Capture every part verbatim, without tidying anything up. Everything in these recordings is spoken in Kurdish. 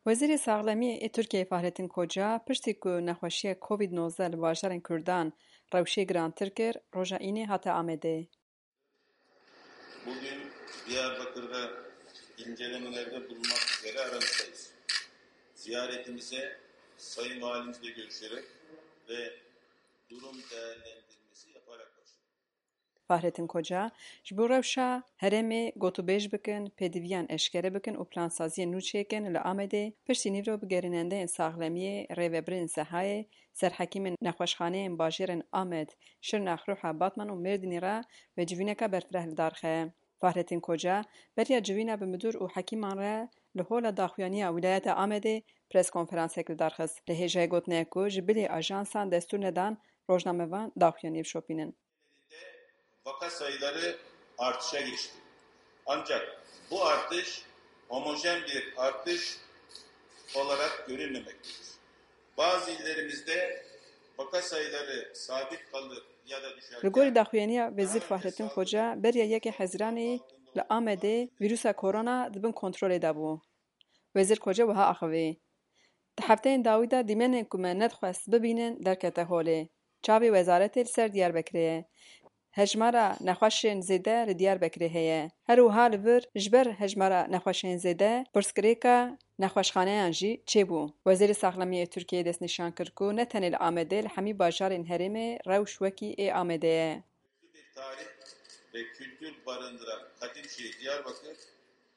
Wezîrê Saxlemiyê ê Tirkiyeyê Fahrettin Koca piştî ku nexweşiya Covid nozdeh li bajarên Kurdan rewşê girantir kir, roja Înê hate Amedê. Bugün Diyarbakır'da incelemelerde bulunmak üzere aramızdayız. Ziyaretimize Sayın Valimizle görüşerek ve durum değerlendirmesi yaparak başladık. Fahrettin Koca, ji bo rewşa herêmê gotûbêj bikin, pêdiviyan eşkere bikin û plansaziyên nû çêkin li Amedê, piştî nîvro bi gerînendeyên saxlemiyê, rêvebirên sehayê, serhekîmên nexweşxaneyên bajêrên Amed, Şirnex, Rûha, Batman û Mêrdînê re ve civîneke berfireh li dar xe. Fahrettin Koca, beriya civîna bi midûr û hekîman re li Hola Daxuyaniya Wîlayeta Amedê preskonferansek li dar xist. Li hêjayê gotinê ye ku ji bilî ajansan destûr nedan rojnamevan daxuyaniyê bişopînin. Vaka sayıları artışa geçti. Ancak bu artış homojen bir artış olarak görünmemektedir. Bazı illerimizde vaka sayıları sabit kalır ya da düşer. Li gorî daxuyaniya Wezîr Fahrettin Koca, beriya yekê Hezîranê li Amedê vîrusa korona di bin kontrolê de bû. Wezîr Koca wiha axivî, Di hefteyên dawî de dîmenên ku me nedixwest bibînin derkete holê. Çavê wezaretê li ser Diyarbekirê ye. Hejmara nexweşên zêde li Diyarbekirê heye. Her wiha li vir ji ber hejmara nexweşên zêde pirsgirêka nexweşxaneyan jî çêbû. Wezîrê Saxlemiyê Tirkiyeyê destnîşan kir ku ne tenê li Amedê, li hemî bajarên herêmê rewş wekî ê Amedê ye. Bir tarih ve kültür barındıran Kadimşehir Diyarbakır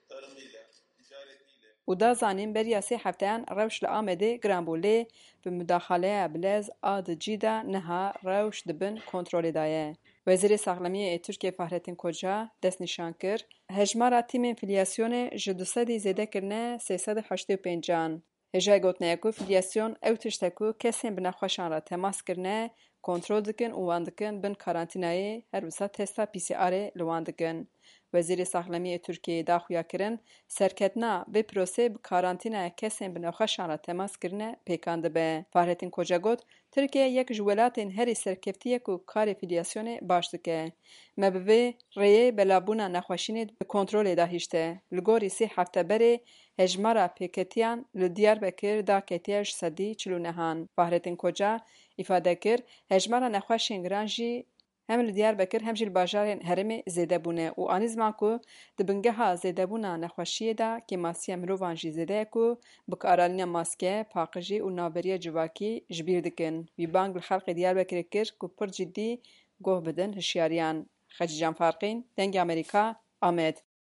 tarımıyla, ticaretiyle, Û da zanîn beriya sê hefteyan rewş li Amedê giran bû, lê bi mudaxaleya bilez a di cî de niha rewş di bin kontrolê de ye. Wezîrê Saxlemiyê ê Tirkiyê Fahrettin Koca destnîşan kir, hejmara tîmên fîlyasyonê ji du sedî zêde kirine sê sed û heştê û pênc an. Hêjayê gotinê ye ku fîlyasyon ew tişt e ku kesên bi nexweşan re temas kirine, kontrol dikin û wan dikin bin karantînayê, her wisa testa P C R'ê li wan dikin. Wezîrê Saxlemiyê Tirkiyeyê da xuya kirin, serketina vê proseyê bi karantînaya kesên bi nexweşan re temas kirine pêkan dibe. Fahrettin Koca got, Tirkiye yek ji welatên herî serkeftî ye ku karê fîlyasyonê baş dike. Me bi vê rêyê belavbûna nexweşînê bi kontrolê de hişte. Li gorî sê hefte berê hejmara pêketiyan li Diyarbekir daketiye ji sedî çil û nehan. Fahrettin Koca îfade kir, hejmara nexweşên giran jî hem li Diyarbekir hem jî li bajarên herêmê zêde bûne û anî ziman ku di bingeha zêdebûna nexweşiyê de kêmasiya mirovan jî zêde ye ku bikaranîna maske, paqijî û navberiya civakî ji bîr dikin. Wî bang li xelkê Diyarbekirê kir ku pir cidî guh bidin hişyariyan. Xecîcan Farqîn, Dengê Amerîka, Amed.